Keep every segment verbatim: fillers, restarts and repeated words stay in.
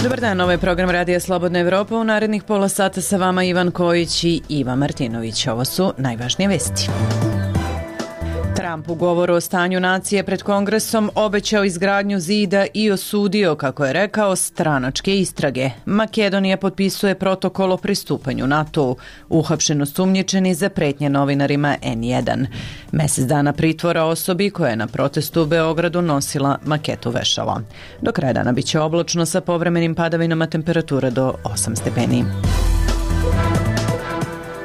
Dobar dan, ovo je program Radija Slobodna Evropa. U narednih pola sata sa vama Ivan Kojić i Iva Martinović. Ovo su najvažnije vesti. Trump u govoru o stanju nacije pred Kongresom obećao izgradnju zida i osudio, kako je rekao, stranačke istrage. Makedonija potpisuje protokol o pristupanju NATO-u. Uhapšen osumnjičeni za pretnje novinarima N jedan. Mesec dana pritvora osobi koja je na protestu u Beogradu nosila maketu vešala. Do kraja dana biće oblačno sa povremenim padavinama, temperatura do osam stepeni.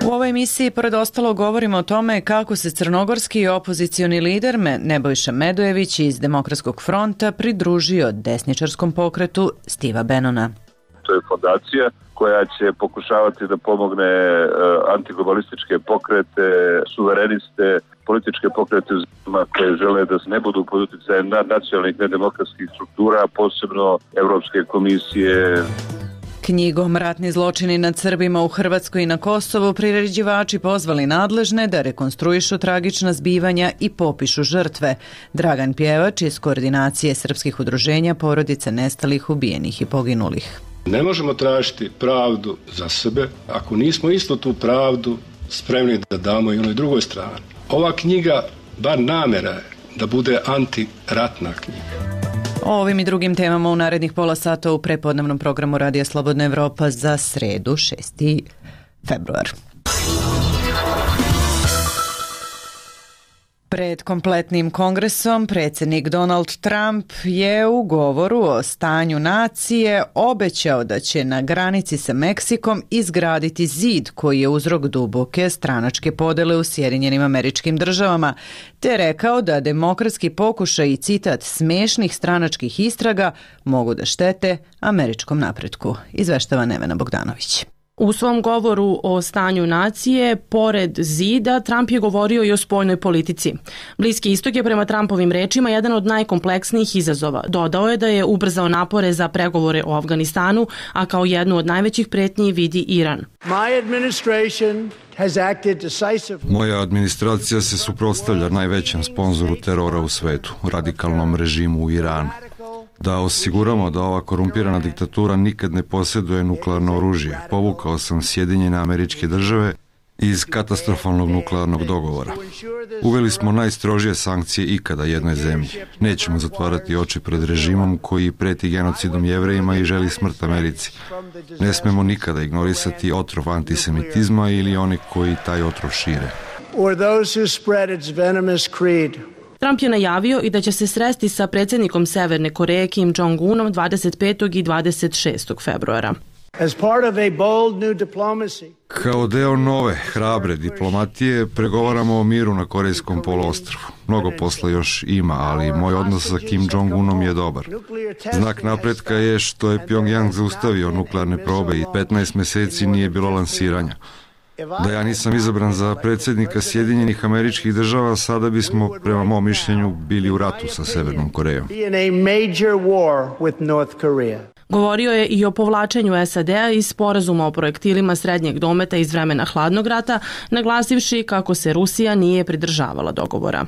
U ovoj emisiji, pored ostalo, govorimo o tome kako se crnogorski opozicioni lider Nebojša Medojević iz Demokratskog fronta pridružio desničarskom pokretu Stiva Benona. To je fondacija koja će pokušavati da pomogne antiglobalističke pokrete, suvereniste, političke pokrete koje žele da ne budu pod uticajem nacionalnih nedemokratskih struktura, posebno Evropske komisije. Knjigom Ratni zločini nad Srbima u Hrvatskoj i na Kosovu priređivači pozvali nadležne da rekonstruišu tragična zbivanja i popišu žrtve. Dragan Pjevač iz Koordinacije srpskih udruženja porodice nestalih, ubijenih i poginulih. Ne možemo tražiti pravdu za sebe ako nismo isto tu pravdu spremni da damo i onoj drugoj strani. Ova knjiga, bar namera je da bude antiratna knjiga. O ovim i drugim temama u narednih pola sata u prepodnevnom programu Radija Slobodna Evropa za sredu, šesti februar. Pred kompletnim kongresom predsjednik Donald Trump je u govoru o stanju nacije obećao da će na granici sa Meksikom izgraditi zid koji je uzrok duboke stranačke podele u Sjedinjenim Američkim Državama, te rekao da demokratski pokušaj i citat smešnih stranačkih istraga mogu da štete američkom napretku. Izveštava Nevena Bogdanović. U svom govoru o stanju nacije, pored zida, Trump je govorio i o spoljnoj politici. Bliski istok je prema Trumpovim rečima jedan od najkompleksnijih izazova. Dodao je da je ubrzao napore za pregovore o Afganistanu, a kao jednu od najvećih pretnji vidi Iran. Moja administracija se suprotstavlja najvećem sponzoru terora u svetu, radikalnom režimu u Iranu. Da osiguramo da ova korumpirana diktatura nikad ne posjeduje nuklearno oružje, povukao sam Sjedinjene Američke Države iz katastrofalnog nuklearnog dogovora. Uveli smo najstrožije sankcije ikada jednoj zemlji. Nećemo zatvarati oči pred režimom koji preti genocidom Jevrejima i želi smrt Americi. Ne smemo nikada ignorisati otrov antisemitizma ili oni koji taj otrov šire. Trump je najavio i da će se sresti sa predsjednikom Severne Koreje Kim Jong-unom dvadeset petog i dvadeset šestog februara. Kao deo nove, hrabre diplomatije pregovaramo o miru na Korejskom poluostrvu. Mnogo posla još ima, ali moj odnos sa Kim Jong-unom je dobar. Znak napretka je što je Pyongyang zaustavio nuklearne probe i petnaest mjeseci nije bilo lansiranja. Da ja nisam izabran za predsjednika Sjedinjenih Američkih Država, sada bismo, prema mom mišljenju, bili u ratu sa Severnom Korejom. Govorio je i o povlačenju S A D-a iz sporazuma o projektilima srednjeg dometa iz vremena hladnog rata, naglasivši kako se Rusija nije pridržavala dogovora.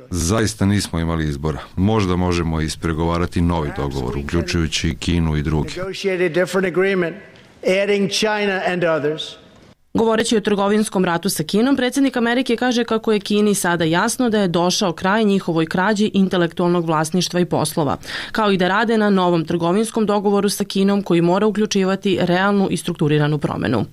Zaista nismo imali izbora. Možda možemo ispregovarati novi dogovor, uključujući Kinu i drugi. Govoreći o trgovinskom ratu sa Kinom, predsjednik Amerike kaže kako je Kini sada jasno da je došao kraj njihovoj krađi intelektualnog vlasništva i poslova, kao i da rade na novom trgovinskom dogovoru sa Kinom koji mora uključivati realnu i strukturiranu promjenu.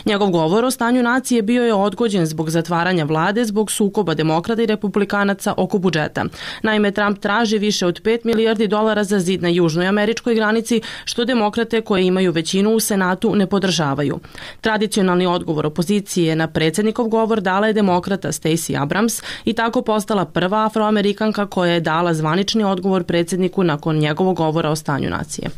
Njegov govor o stanju nacije bio je odgođen zbog zatvaranja vlade zbog sukoba demokrata i republikanaca oko budžeta. Naime, Trump traži više od pet milijardi dolara za zid na južnoj američkoj granici, što demokrate koje imaju većinu u Senatu ne podržavaju. Tradicionalni odgovor opozicije na predsjednikov govor dala je demokrata Stacey Abrams i tako postala prva afroamerikanka koja je dala zvanični odgovor predsjedniku nakon njegovog govora o stanju nacije.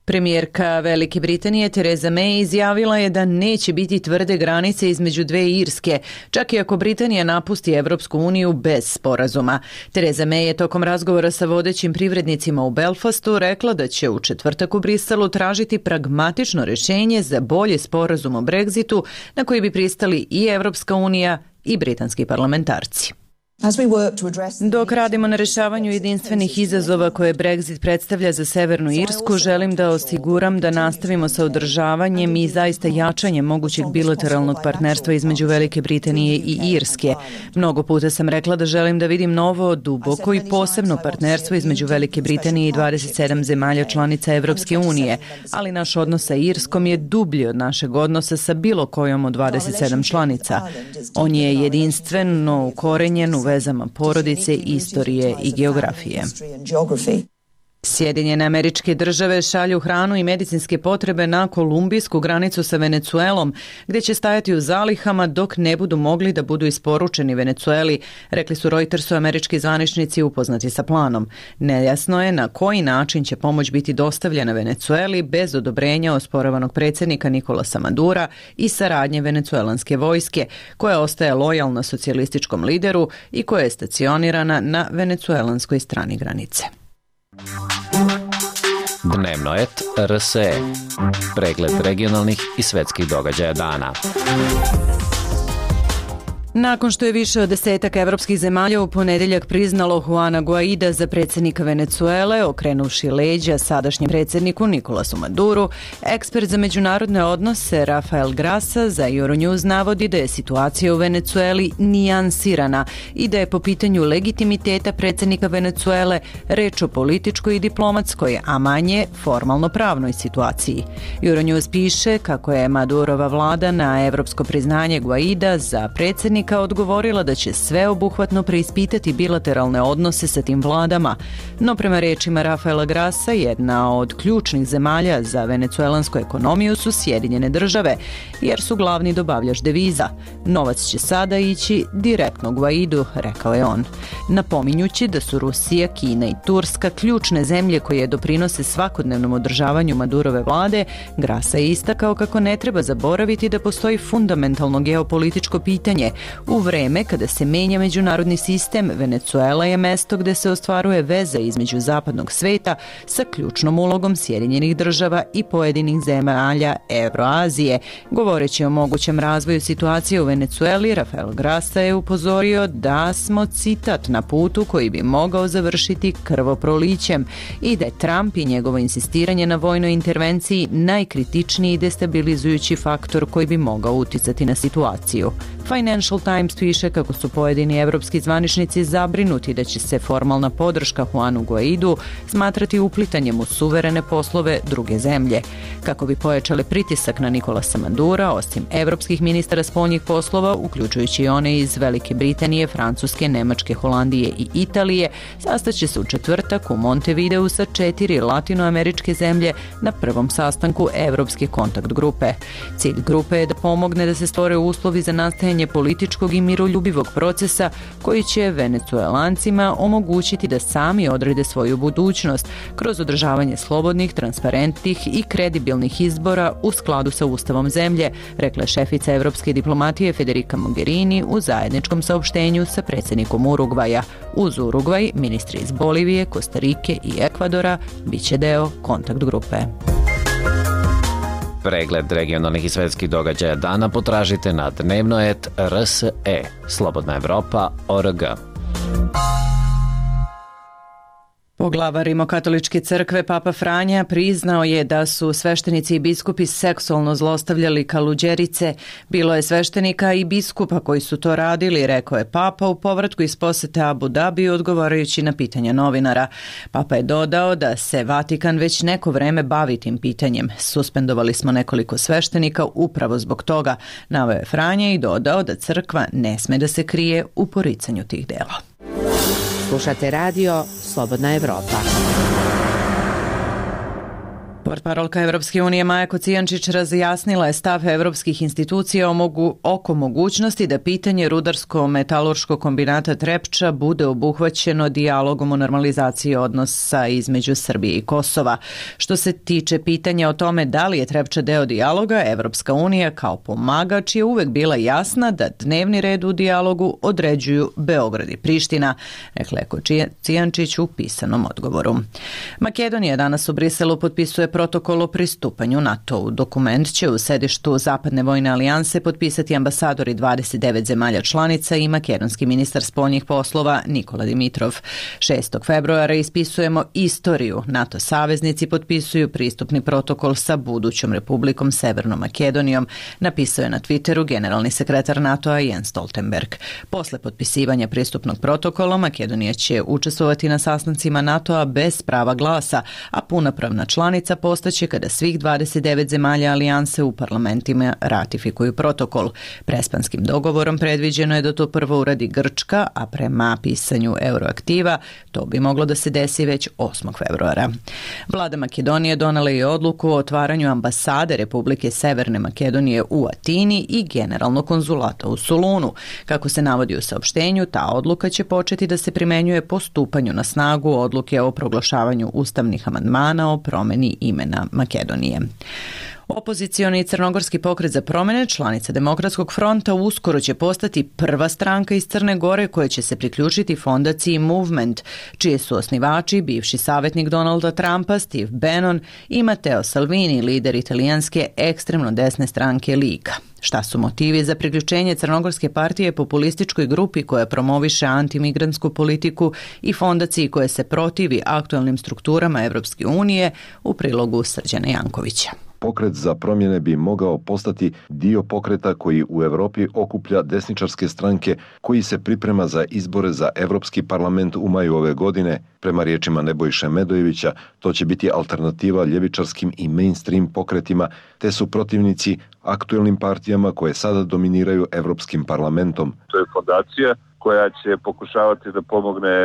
Premijerka Velike Britanije Theresa May izjavila je da neće biti tvrde granice između dve Irske, čak i ako Britanija napusti Evropsku uniju bez sporazuma. Theresa May je tokom razgovora sa vodećim privrednicima u Belfastu rekla da će u četvrtak u Briselu tražiti pragmatično rješenje za bolji sporazum o Brexitu na koji bi pristali i Evropska unija i britanski parlamentarci. Dok radimo na rješavanju jedinstvenih izazova koje Brexit predstavlja za Severnu Irsku, želim da osiguram da nastavimo sa održavanjem i zaista jačanjem mogućeg bilateralnog partnerstva između Velike Britanije i Irske. Mnogo puta sam rekla da želim da vidim novo, duboko i posebno partnerstvo između Velike Britanije i dvadeset sedam zemalja članica Evropske unije, ali naš odnos sa Irskom je dublji od našeg odnosa sa bilo kojom od dvadeset sedam članica. On je jedinstveno ukorenjen u vezama porodice, istorije i geografije. Sjedinjene Američke Države šalju hranu i medicinske potrebe na kolumbijsku granicu sa Venecuelom, gdje će stajati u zalihama dok ne budu mogli da budu isporučeni Venecueli, rekli su Reutersu američki zvaničnici upoznati sa planom. Nejasno je na koji način će pomoć biti dostavljena Venecueli bez odobrenja osporavanog predsjednika Nikolasa Madura i saradnje venecuelanske vojske, koja ostaje lojalna socijalističkom lideru i koja je stacionirana na venecuelanskoj strani granice. Dnevno et R S E. Pregled regionalnih i svetskih događaja dana. Nakon što je više od desetak evropskih zemalja u ponedjeljak priznalo Juana Guaida za predsjednika Venecuele, okrenuvši leđa sadašnjem predsjedniku Nikolasu Maduru, ekspert za međunarodne odnose Rafael Grassa za Euronews navodi da je situacija u Venecueli nijansirana i da je po pitanju legitimiteta predsjednika Venecuele reč o političkoj i diplomatskoj, a manje formalno pravnoj situaciji. Euronews piše kako je Madurova vlada na evropsko priznanje Guaida za predsjednika odgovorila da će sveobuhvatno preispitati bilateralne odnose sa tim vladama, no prema rečima Rafaela Grassa, jedna od ključnih zemalja za venecuelansku ekonomiju su Sjedinjene Države, jer su glavni dobavljač deviza. Novac će sada ići direktno Guaidu, rekao je on. Napominjući da su Rusija, Kina i Turska ključne zemlje koje doprinose svakodnevnom održavanju Madurove vlade, Grassa je istakao kako ne treba zaboraviti da postoji fundamentalno geopolitičko pitanje. U vreme kada se menja međunarodni sistem, Venecuela je mesto gdje se ostvaruje veza između zapadnog sveta sa ključnom ulogom Sjedinjenih Država i pojedinih zemalja Evroazije. Govoreći o mogućem razvoju situacije u Venecueli, Rafael Grassa je upozorio da smo, citat, na putu koji bi mogao završiti krvoprolićem i da je Trump i njegovo insistiranje na vojnoj intervenciji najkritičniji destabilizujući faktor koji bi mogao uticati na situaciju. Financial Times piše kako su pojedini evropski zvaničnici zabrinuti da će se formalna podrška Juanu Guaidu smatrati uplitanjem u suverene poslove druge zemlje. Kako bi pojačale pritisak na Nikolasa Madura, osim evropskih ministara spoljnih poslova, uključujući i one iz Velike Britanije, Francuske, Nemačke, Holandije i Italije, sastaće se u četvrtak u Montevideu sa četiri latinoameričke zemlje na prvom sastanku Evropske kontakt grupe. Cilj grupe je da pomogne da se stvore uslovi za nastajanje političkog i miroljubivog procesa koji će Venecuelancima omogućiti da sami odrede svoju budućnost kroz održavanje slobodnih, transparentnih i kredibilnih izbora u skladu sa ustavom zemlje, rekla šefica evropske diplomatije Federica Mogherini u zajedničkom saopštenju sa predsjednikom Urugvaja. Uz Urugvaj, ministri iz Bolivije, Kostarike i Ekvadora biće deo kontakt grupe. Pregled regionalnih i svetskih događaja dana potražite na dnevno et R S E, Slobodna Evropa, O R G. Poglavar Rimokatoličke crkve Papa Franja priznao je da su sveštenici i biskupi seksualno zlostavljali kaluđerice. Bilo je sveštenika i biskupa koji su to radili, rekao je Papa u povratku iz posete Abu Dabiju odgovarajući na pitanja novinara. Papa je dodao da se Vatikan već neko vreme bavi tim pitanjem. Suspendovali smo nekoliko sveštenika upravo zbog toga, naveo je Franja i dodao da crkva ne sme da se krije u poricanju tih dela. Slušate radio Slobodna Evropa. Portparolka Evropske unije Maja Kocijančić razjasnila je stav evropskih institucija oko mogućnosti da pitanje rudarsko-metalurškog kombinata Trepča bude obuhvaćeno dijalogom o normalizaciji odnosa između Srbije i Kosova. Što se tiče pitanja o tome da li je Trepča deo dijaloga, Evropska unija kao pomagač je uvek bila jasna da dnevni red u dijalogu određuju Beograd i Priština, rekla je Kocijančić u pisanom odgovoru. Makedonija danas u Briselu potpisuje protokol o pristupanju NATO-u. Dokument će u sedištu Zapadne vojne alijanse potpisati ambasadori dvadeset devet zemalja članica i makedonski ministar spoljnih poslova Nikola Dimitrov. šestog februara ispisujemo istoriju. NATO saveznici potpisuju pristupni protokol sa budućom Republikom Severnom Makedonijom, napisao je na Twitteru generalni sekretar NATO-a Jens Stoltenberg. Posle potpisivanja pristupnog protokola Makedonija će učestvovati na sastancima NATO-a bez prava glasa, a punopravna članica postaće kada svih dvadeset devet zemalja alijanse u parlamentima ratifikuju protokol. Prespanskim dogovorom predviđeno je da to prvo uradi Grčka, a prema pisanju Euroaktiva to bi moglo da se desi već osmog februara. Vlada Makedonije donela je odluku o otvaranju ambasade Republike Severne Makedonije u Atini i generalnog konzulata u Solunu. Kako se navodi u saopštenju, ta odluka će početi da se primenjuje po stupanju na snagu odluke o proglašavanju ustavnih amandmana o promeni imena Makedonije. Opozicioni crnogorski pokret za promene, članica Demokratskog fronta, uskoro će postati prva stranka iz Crne Gore koja će se priključiti fondaciji Movement, čije su osnivači bivši savjetnik Donalda Trumpa Steve Bannon i Matteo Salvini, lider italijanske ekstremno desne stranke Liga. Šta su motivi za priključenje Crnogorske partije populističkoj grupi koja promoviše antimigrantsku politiku i fondaciji koja se protivi aktualnim strukturama Evropske unije, u prilogu Srđana Jankovića. Pokret za promjene bi mogao postati dio pokreta koji u Evropi okuplja desničarske stranke koji se priprema za izbore za Evropski parlament u maju ove godine. Prema riječima Nebojše Medojevića, to će biti alternativa ljevičarskim i mainstream pokretima, te su protivnici aktuelnim partijama koje sada dominiraju Evropskim parlamentom. To je fondacija koja će pokušavati da pomogne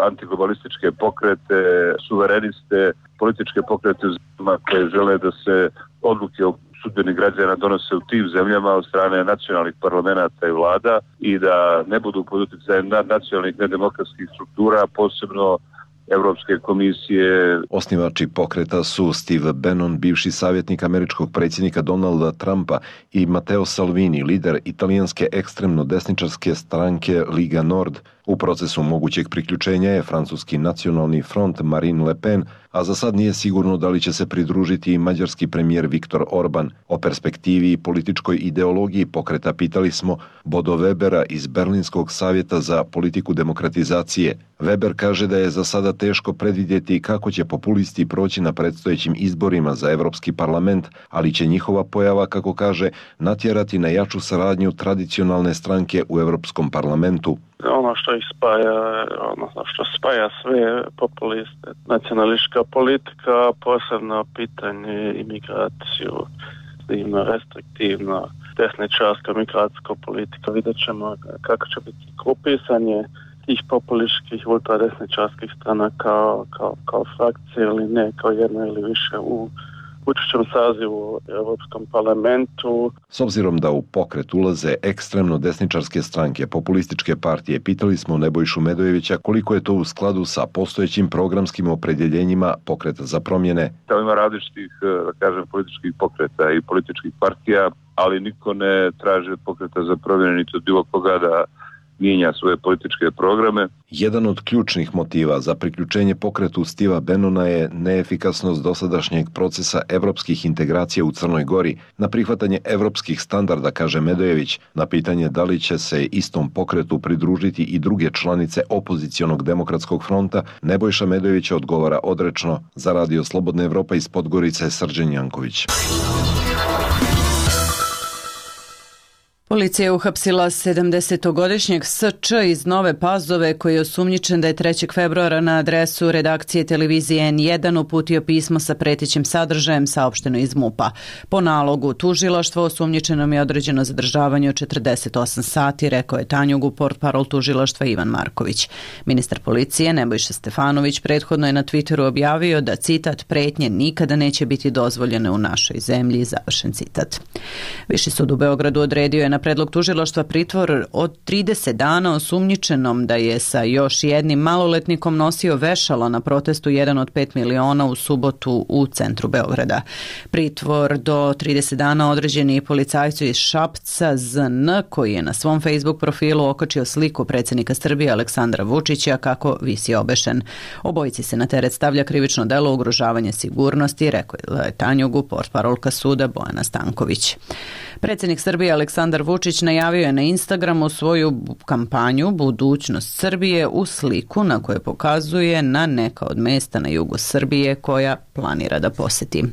antiglobalističke pokrete, suvereniste, političke pokrete u zemljama koje žele da se odluke o sudbini građana donose u tim zemljama od strane nacionalnih parlamenta i vlada i da ne budu pod utjecajem nacionalnih nedemokratskih struktura, posebno Evropske komisije. Osnivači pokreta su Steve Bannon, bivši savjetnik američkog predsjednika Donalda Trumpa, i Matteo Salvini, lider italijanske ekstremno desničarske stranke Liga Nord. U procesu mogućeg priključenja je francuski nacionalni front Marine Le Pen, a za sad nije sigurno da li će se pridružiti i mađarski premijer Viktor Orban. O perspektivi i političkoj ideologiji pokreta pitali smo Bodo Webera iz Berlinskog savjeta za politiku demokratizacije. Weber kaže da je za sada teško predvidjeti kako će populisti proći na predstojećim izborima za Evropski parlament, ali će njihova pojava, kako kaže, natjerati na jaču saradnju tradicionalne stranke u Evropskom parlamentu. Ono što ih spaja, odnosno što spaja sve populiste, nacionalistička politika, posebno pitanje imigraciju, ima restriktivno desničarska migracijska politika. Vidjet ćemo kako će biti grupisanje tih populističkih ultradesničarskih strana kao, kao, kao frakcije ili ne, kao jedno ili više u učešćem sazivu u Europskom parlamentu. S obzirom da u pokret ulaze ekstremno desničarske stranke, populističke partije, pitali smo Nebojšu Medojevića koliko je to u skladu sa postojećim programskim opredjeljenjima pokreta za promjene. Tamo ima različitih, da kažem, političkih pokreta i političkih partija, ali niko ne traži od pokreta za promjene niti od bilo koga da mijenja svoje političke programe. Jedan od ključnih motiva za priključenje pokretu Stiva Bannona je neefikasnost dosadašnjeg procesa evropskih integracija u Crnoj Gori na prihvatanje evropskih standarda, kaže Medojević. Na pitanje da li će se istom pokretu pridružiti i druge članice opozicionog demokratskog fronta, Nebojša Medojević odgovara odrečno. Za Radio Slobodna Evropa iz Podgorice, Srđan Janković. Policija je uhapsila sedamdesetogodišnjeg S Č iz Nove Pazove koji je osumnjičen da je trećeg februara na adresu redakcije televizije N jedan uputio pismo sa pretećim sadržajem, saopšteno iz M U P-a. Po nalogu tužilaštva osumnjičenom je određeno zadržavanje od četrdeset osam sati, rekao je Tanjugu portparol tužilaštva Ivan Marković. Ministar policije Nebojša Stefanović prethodno je na Twitteru objavio da, citat, pretnje nikada neće biti dozvoljene u našoj zemlji, završen citat. Viši sud u Beogradu odredio je na predlog tužilaštva pritvor od trideset dana osumnjičenom da je sa još jednim maloletnikom nosio vešalo na protestu jedan od pet miliona u subotu u centru Beograda. Pritvor do trideset dana određen je i policajcu iz Šapca Z N koji je na svom Facebook profilu okačio sliku predsjednika Srbije Aleksandra Vučića kako visi obešen. Obojici se na teret stavlja krivično delo ugrožavanja sigurnosti, rekao je Tanjugu portparolka suda Bojana Stanković. Predsjednik Srbije Aleksandar Vučić najavio je na Instagramu svoju kampanju Budućnost Srbije u sliku na kojoj pokazuje na neka od mesta na jugu Srbije koja planira da poseti.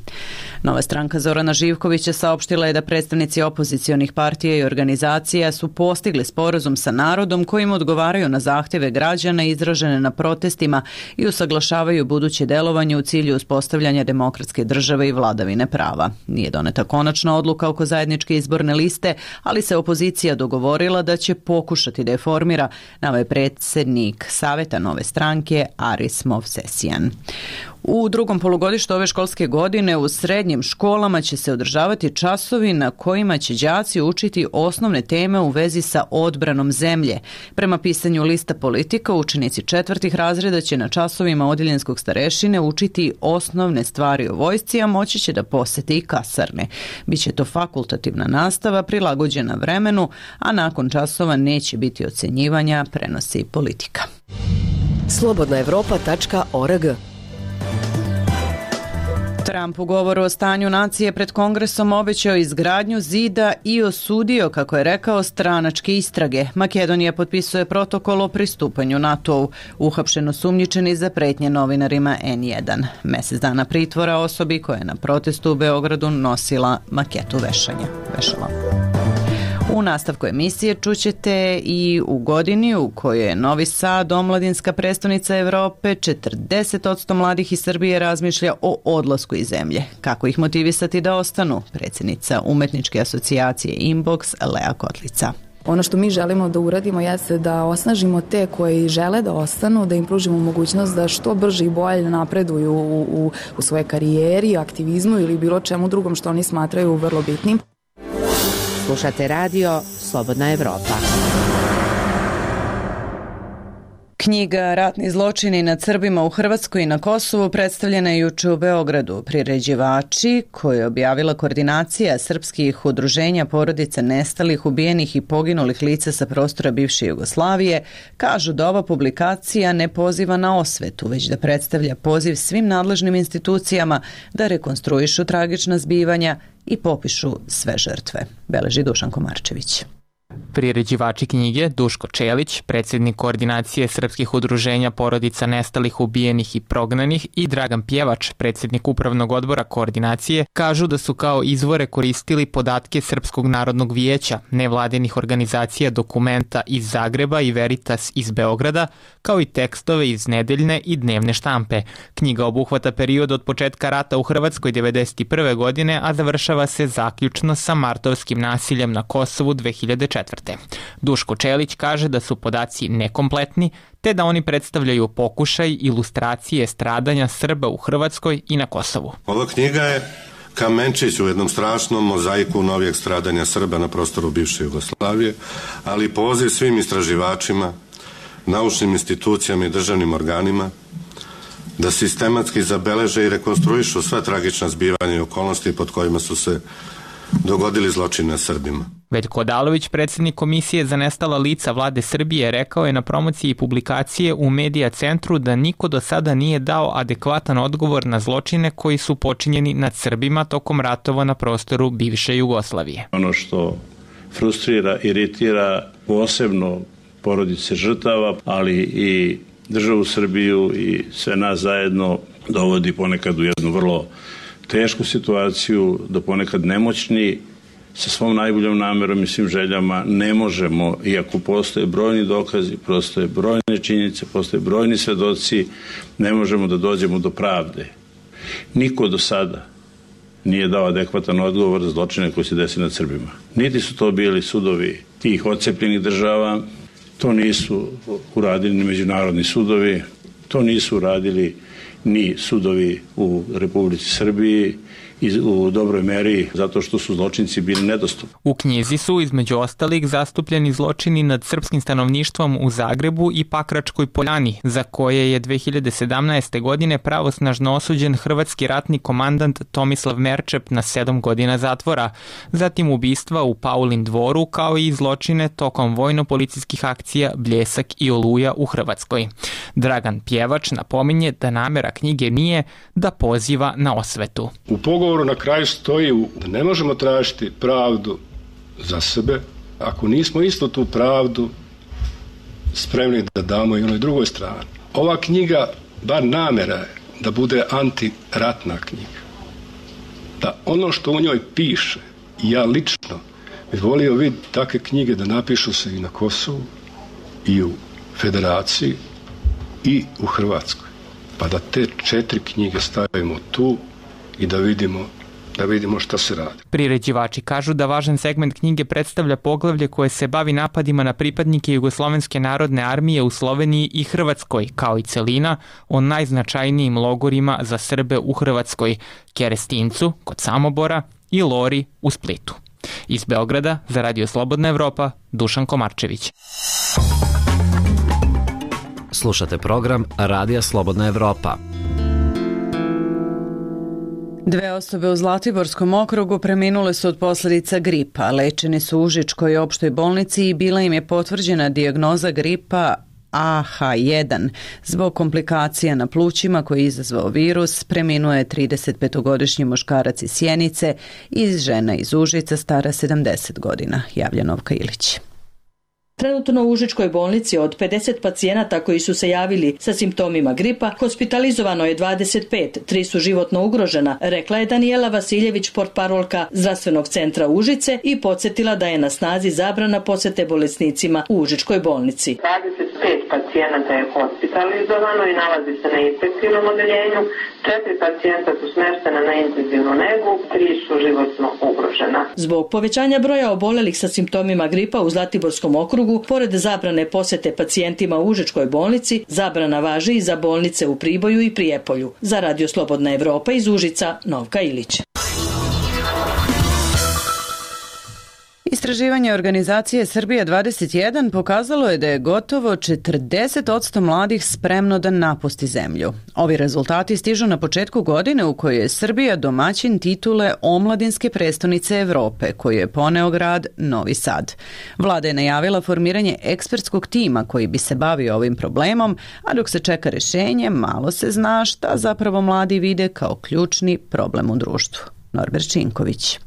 Nova stranka Zorana Živkovića saopštila je da predstavnici opozicionih partija i organizacija su postigli sporazum sa narodom kojim odgovaraju na zahtjeve građana izražene na protestima i usaglašavaju buduće delovanje u cilju uspostavljanja demokratske države i vladavine prava. Nije doneta konačna odluka oko zajedničke izborne liste, ali se opozicija dogovorila da će pokušati da je formira, naveo je predsjednik Saveta Nove stranke Aris Movsesijan. U drugom polugodištu ove školske godine u srednjim školama će se održavati časovi na kojima će đaci učiti osnovne teme u vezi sa odbranom zemlje. Prema pisanju lista politika, učenici četvrtih razreda će na časovima odjeljenskog starešine učiti osnovne stvari o vojsci, a moći će da posete i kasarne. Biće to fakultativna nastava prilagođena vremenu, a nakon časova neće biti ocenjivanja, prenosi politika. slobodna evropa tačka org. Trump u govoru o stanju nacije pred Kongresom obećao izgradnju zida i osudio, kako je rekao, stranačke istrage. Makedonija potpisuje protokol o pristupanju NATO-u, uhapšeno sumnjičeni za pretnje novinarima N jedan. Mesec dana pritvora osobi koja je na protestu u Beogradu nosila maketu vešanja. Vešala. U nastavku emisije čućete i u godini u kojoj je Novi Sad omladinska prestonica Evrope, četrdeset posto mladih iz Srbije razmišlja o odlasku iz zemlje. Kako ih motivisati da ostanu? Predsjednica Umetničke asocijacije Inbox, Lea Kotlica. Ono što mi želimo da uradimo jeste da osnažimo te koji žele da ostanu, da im pružimo mogućnost da što brže i bolje napreduju u, u, u svoje karijeri, aktivizmu ili bilo čemu drugom što oni smatraju vrlo bitnim. Slušate radio Slobodna Evropa. Knjiga Ratni zločini nad Srbima u Hrvatskoj i na Kosovu predstavljena je juče u Beogradu. Priređivači, koje je objavila koordinacija srpskih udruženja porodica nestalih, ubijenih i poginulih lica sa prostora bivše Jugoslavije, kažu da ova publikacija ne poziva na osvetu, već da predstavlja poziv svim nadležnim institucijama da rekonstruišu tragična zbivanja i popišu sve žrtve. Beleži Dušan Komarčević. Priređivači knjige Duško Čelić, predsjednik koordinacije srpskih udruženja porodica nestalih, ubijenih i prognanih, i Dragan Pjevač, predsjednik upravnog odbora koordinacije, kažu da su kao izvore koristili podatke Srpskog narodnog vijeća, nevladinih organizacija Dokumenta iz Zagreba i Veritas iz Beograda, kao i tekstove iz nedeljne i dnevne štampe. Knjiga obuhvata period od početka rata u Hrvatskoj devedeset prve. godine, a završava se zaključno sa martovskim nasiljem na Kosovu dve hiljade četvrte. Duško Čelić kaže da su podaci nekompletni, te da oni predstavljaju pokušaj ilustracije stradanja Srba u Hrvatskoj i na Kosovu. Ova knjiga je kamenčić u jednom strašnom mozaiku novijeg stradanja Srba na prostoru bivše Jugoslavije, ali poziv svim istraživačima, naučnim institucijama i državnim organima da sistematski zabeleže i rekonstruišu sva tragična zbivanja i okolnosti pod kojima su se dogodili zločini na Srbima. Veljko Odalović, predsjednik Komisije za nestala lica vlade Srbije, rekao je na promociji publikacije u Medija centru da niko do sada nije dao adekvatan odgovor na zločine koji su počinjeni nad Srbima tokom ratova na prostoru bivše Jugoslavije. Ono što frustrira, iritira posebno porodice žrtava, ali i državu Srbiju i sve nas zajedno dovodi ponekad u jednu vrlo tešku situaciju, da ponekad nemoćni sa svom najboljom namerom i svim željama ne možemo, iako postoje brojni dokazi, postoje brojne činjenice, postoje brojni svedoci, ne možemo da dođemo do pravde. Niko do sada nije dao adekvatan odgovor za zločine koji se desi nad Srbima. Niti su to bili sudovi tih odcepljenih država, to nisu uradili ni međunarodni sudovi, to nisu uradili ni sudovi u Republici Srbiji, u dobroj meri zato što su zločinci bili nedostupni. U knjizi su između ostalih zastupljeni zločini nad srpskim stanovništvom u Zagrebu i Pakračkoj Poljani, za koje je dve hiljade sedamnaeste. godine pravosnažno osuđen hrvatski ratni komandant Tomislav Merčep na sedam godina zatvora, zatim ubistva u Paulin dvoru, kao i zločine tokom vojno-policijskih akcija Bljesak i Oluja u Hrvatskoj. Dragan Pjevač napominje da namera knjige nije da poziva na osvetu. U pogovoru na kraju stoji da ne možemo tražiti pravdu za sebe ako nismo isto tu pravdu spremni da damo i onoj drugoj strani. Ova knjiga, bar namera je da bude antiratna knjiga. Da ono što u njoj piše, ja lično bih volio vidjeti takve knjige da napišu se i na Kosovu, i u Federaciji, i u Hrvatskoj. Pa da te četiri knjige stavimo tu i da vidimo, da vidimo šta se radi. Priređivači kažu da važan segment knjige predstavlja poglavlje koje se bavi napadima na pripadnike Jugoslovenske narodne armije u Sloveniji i Hrvatskoj, kao i celina o najznačajnijim logorima za Srbe u Hrvatskoj, Kerestincu kod Samobora i Lori u Splitu. Iz Beograda za Radio Slobodna Evropa, Dušan Komarčević. Slušate program Radija Slobodna Evropa. Dve osobe u Zlatiborskom okrugu preminule su od posljedica gripa. Lečeni su u Užičkoj opštoj bolnici i bila im je potvrđena dijagnoza gripa A H jedan. Zbog komplikacija na plućima koji je izazvao virus, preminuo je tridesetpetogodišnji muškarac iz Sjenice i žena iz Užica stara sedamdeset godina, javlja Novka Ilić. Trenutno u Užičkoj bolnici od pedeset pacijenata koji su se javili sa simptomima gripa, hospitalizovano je dvadeset pet, tri su životno ugrožena, rekla je Danijela Vasiljević, portparolka Zdravstvenog centra Užice, i podsjetila da je na snazi zabrana posete bolesnicima u Užičkoj bolnici. dvadeset pet pacijenata je hospitalizovano i nalazi se na infektivnom odeljenju, četiri pacijenta su smeštena na intenzivnu negu, tri su životno ugrožena. Zbog povećanja broja obolelih sa simptomima gripa u Zlatiborskom okrugu, pored zabrane posete pacijentima u Užičkoj bolnici, zabrana važi i za bolnice u Priboju i Prijepolju. Za Radio Slobodna Evropa iz Užica, Novka Ilić. Istraživanje organizacije Srbija dvadeset jedan pokazalo je da je gotovo četrdeset posto mladih spremno da napusti zemlju. Ovi rezultati stižu na početku godine u kojoj je Srbija domaćin titule Omladinske prestonice Evrope, koju je poneo grad Novi Sad. Vlada je najavila formiranje ekspertskog tima koji bi se bavio ovim problemom, a dok se čeka rešenje, malo se zna šta zapravo mladi vide kao ključni problem u društvu. Norbert Činković.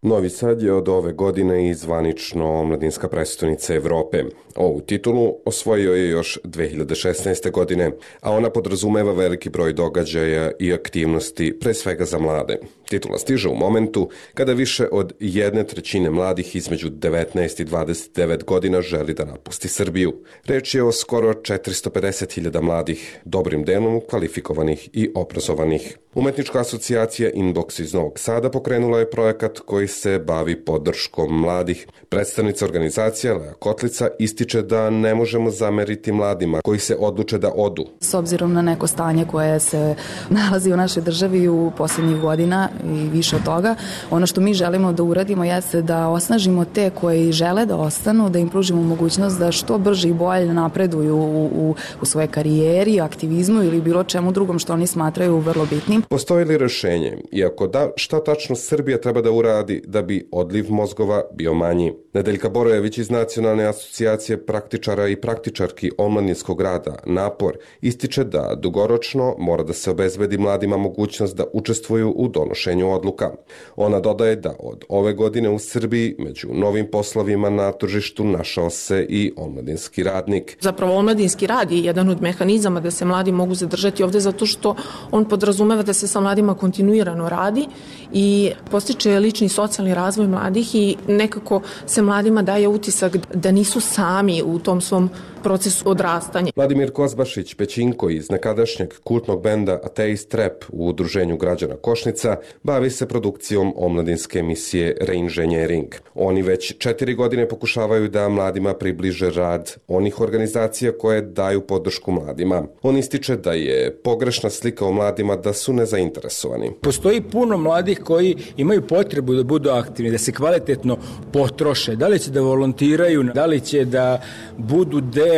Novi Sad je od ove godine i zvanično Omladinska prestonica Evrope. Ovu titulu osvojio je još dve hiljade šesnaeste. godine, a ona podrazumeva veliki broj događaja i aktivnosti, pre svega za mlade. Titula stiže u momentu kada više od jedne trećine mladih između devetnaest i dvadeset devet godina želi da napusti Srbiju. Reč je o skoro četiristo pedeset hiljada mladih, dobrim delom kvalifikovanih i obrazovanih. Umetnička asocijacija Inbox iz Novog Sada pokrenula je projekat koji se bavi podrškom mladih. Predstavnica organizacije Lea Kotlica ističe da ne možemo zameriti mladima koji se odluče da odu. S obzirom na neko stanje koje se nalazi u našoj državi u posljednjih godina i više od toga, ono što mi želimo da uradimo jeste da osnažimo te koji žele da ostanu, da im pružimo mogućnost da što brže i bolje napreduju u, u, u svojoj karijeri, aktivizmu ili bilo čemu drugom što oni smatraju vrlo bitnim. Postoji li rešenje? Iako da, šta tačno Srbija treba da uradi da bi odliv mozgova bio manji? Nedeljka Borojević iz Nacionalne asocijacije praktičara i praktičarki omladinskog rada Napor ističe da dugoročno mora da se obezbedi mladima mogućnost da učestvuju u donošenju donošenju odluka. Ona dodaje da od ove godine u Srbiji među novim poslovima na tržištu našao se i omladinski radnik. Zapravo omladinski rad je jedan od mehanizama da se mladi mogu zadržati ovde zato što on podrazumeva da se sa mladima kontinuirano radi i postiče lični socijalni razvoj mladih i nekako se mladima daje utisak da nisu sami u tom svom procesu odrastanja. Vladimir Kozbašić Pećinko iz nekadašnjeg kultnog benda Ateist Rap u Udruženju građana Košnica bavi se produkcijom omladinske emisije Reinženjering. Oni već četiri godine pokušavaju da mladima približe rad onih organizacija koje daju podršku mladima. On ističe da je pogrešna slika o mladima da su nezainteresovani. Postoji puno mladih koji imaju potrebu da budu aktivni, da se kvalitetno potroše, da li će da volontiraju, da li će da budu deo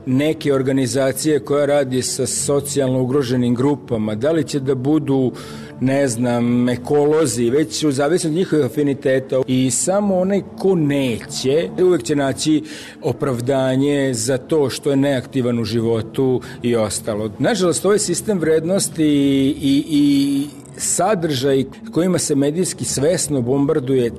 neke organizacije koja radi sa socijalno ugroženim grupama, da li će da budu, ne znam, ekolozi, već u zavisnosti od njihovih afiniteta i samo onaj ko neće, uvek će naći opravdanje za to što je neaktivan u životu i ostalo. Nažalost, ovaj sistem vrednosti i, i, i sadržaj kojima se medijski svesno bombarduje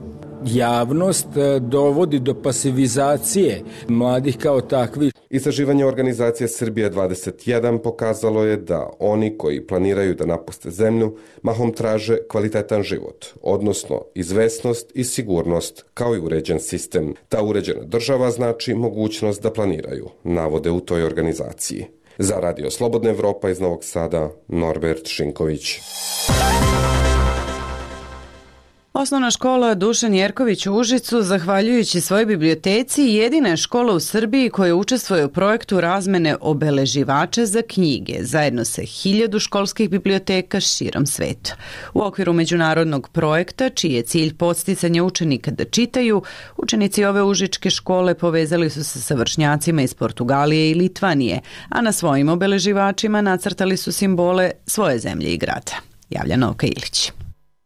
javnost dovodi do pasivizacije mladih kao takvih. Istraživanje organizacije Srbija dvadeset jedan pokazalo je da oni koji planiraju da napuste zemlju mahom traže kvalitetan život, odnosno izvesnost i sigurnost kao i uređen sistem. Ta uređena država znači mogućnost da planiraju, navode u toj organizaciji. Za Radio Slobodna Evropa iz Novog Sada, Norbert Šinković. Osnovna škola Dušan Jerković u Užicu, zahvaljujući svojoj biblioteci, jedina je škola u Srbiji koja učestvuje u projektu razmene obeleživača za knjige, zajedno sa hiljadu školskih biblioteka širom sveta. U okviru međunarodnog projekta, čiji je cilj podsticanje učenika da čitaju, učenici ove užičke škole povezali su se sa vršnjacima iz Portugalije i Litvanije, a na svojim obeleživačima nacrtali su simbole svoje zemlje i grada. Javlja Novka Ilić.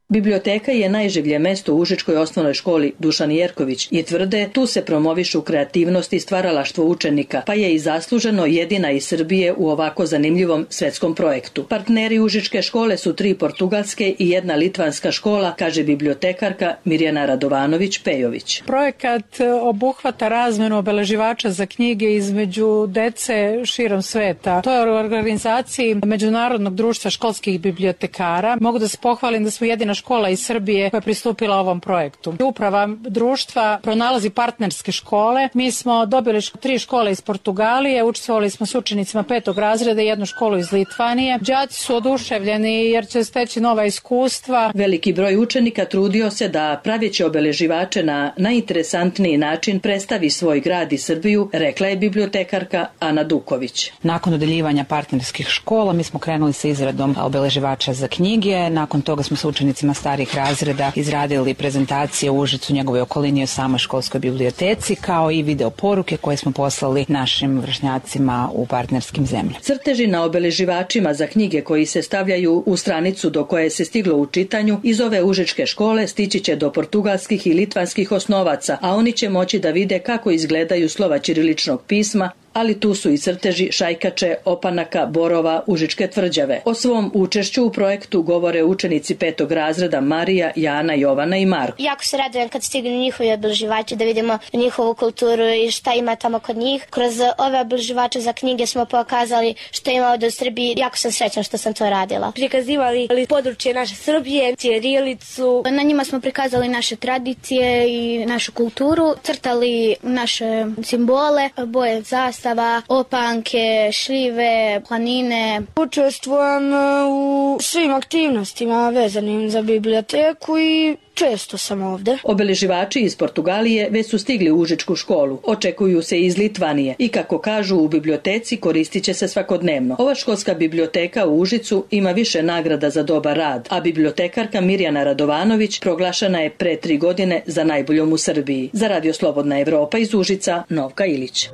Biblioteka je najživlje mesto u Užičkoj osnovnoj školi Dušan Jerković i tvrde tu se promovišu kreativnost i stvaralaštvo učenika, pa je i zasluženo jedina iz Srbije u ovako zanimljivom svetskom projektu. Partneri Užičke škole su tri portugalske i jedna litvanska škola, kaže bibliotekarka Mirjana Radovanović-Pejović. Projekat obuhvata razmenu obeleživača za knjige između dece širom sveta. To je u organizaciji Međunarodnog društva školskih bibliotekara. Mogu da se pohvalim da smo jedina škola iz Srbije koja je pristupila ovom projektu. Uprava društva pronalazi partnerske škole. Mi smo dobili tri škole iz Portugalije, učestvovali smo s učenicima petog razreda i jednu školu iz Litvanije. Đaci su oduševljeni jer će steći nova iskustva. Veliki broj učenika trudio se da praveći obeleživače na najinteresantniji način predstavi svoj grad i Srbiju, rekla je bibliotekarka Ana Duković. Nakon dodeljivanja partnerskih škola mi smo krenuli sa izradom obeleživača za knjige. Nakon toga smo sa učenicima starih razreda izradili prezentacije u Užicu, njegovoj okolini o samoj školskoj biblioteci, kao i video poruke koje smo poslali našim vršnjacima u partnerskim zemljama. Crteži na obeleživačima za knjige koji se stavljaju u stranicu do koje se stiglo u čitanju iz ove užičke škole stići će do portugalskih i litvanskih osnovaca, a oni će moći da vide kako izgledaju slova ćiriličnog pisma, ali tu su i crteži šajkače, opanaka, borova, užičke tvrđave. O svom učešću u projektu govore učenici petog razreda Marija, Jana, Jovana i Marko. Jako se radujem kad stignu njihovi obeleživači da vidimo njihovu kulturu i šta ima tamo kod njih. Kroz ove obeleživače za knjige smo pokazali što ima ovde u Srbiji. Jako sam srećna što sam to radila. Prikazivali područje naše Srbije, ćirilicu. Na njima smo prikazali naše tradicije i našu kulturu, crtali naše simbole, boje zastava, opanke, šljive, planine. Učestvujem u svim aktivnostima vezanim za biblioteku i često sam ovde. Obeleživači iz Portugalije već su stigli u Užičku školu. Očekuju se iz Litvanije i kako kažu u biblioteci koristit će se svakodnevno. Ova školska biblioteka u Užicu ima više nagrada za dobar rad, a bibliotekarka Mirjana Radovanović proglašena je pre tri godine za najboljom u Srbiji. Za Radio Slobodna Evropa iz Užica, Novka Ilić.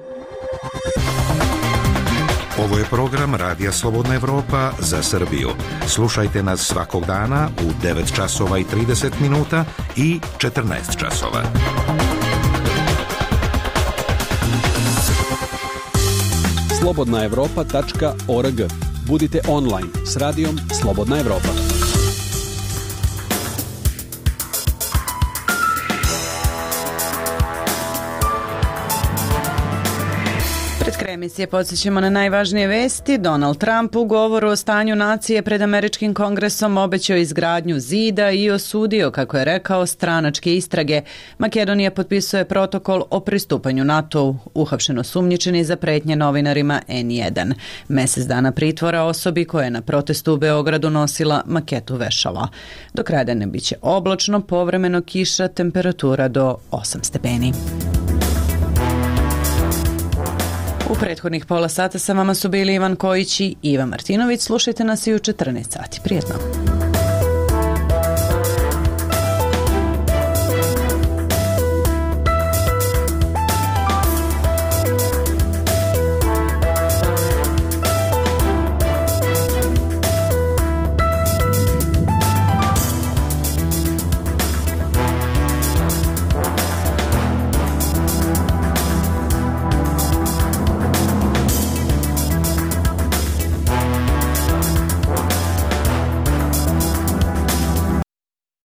Ovo je program Radija Slobodna Evropa za Srbiju. Slušajte nas svakog dana u devet časova i trideset minuta i četrnaest časova. slobodna evropa tačka org. Budite online s radijom Slobodna Evropa. Kraja emisije podsjećamo na najvažnije vesti. Donald Trump u govoru o stanju nacije pred američkim kongresom obećao izgradnju zida i osudio, kako je rekao, stranačke istrage. Makedonija potpisuje protokol o pristupanju NATO-u. Uhapšen osumnjičeni za pretnje novinarima en jedan. Mesec dana pritvora osobi koja je na protestu u Beogradu nosila maketu vešala. Do kraja dana biće oblačno, povremeno kiša, temperatura do osam stepeni. U prethodnih pola sata sa vama su bili Ivan Kojić i Iva Martinović. Slušajte nas i u četrnaest sati. Prijetno.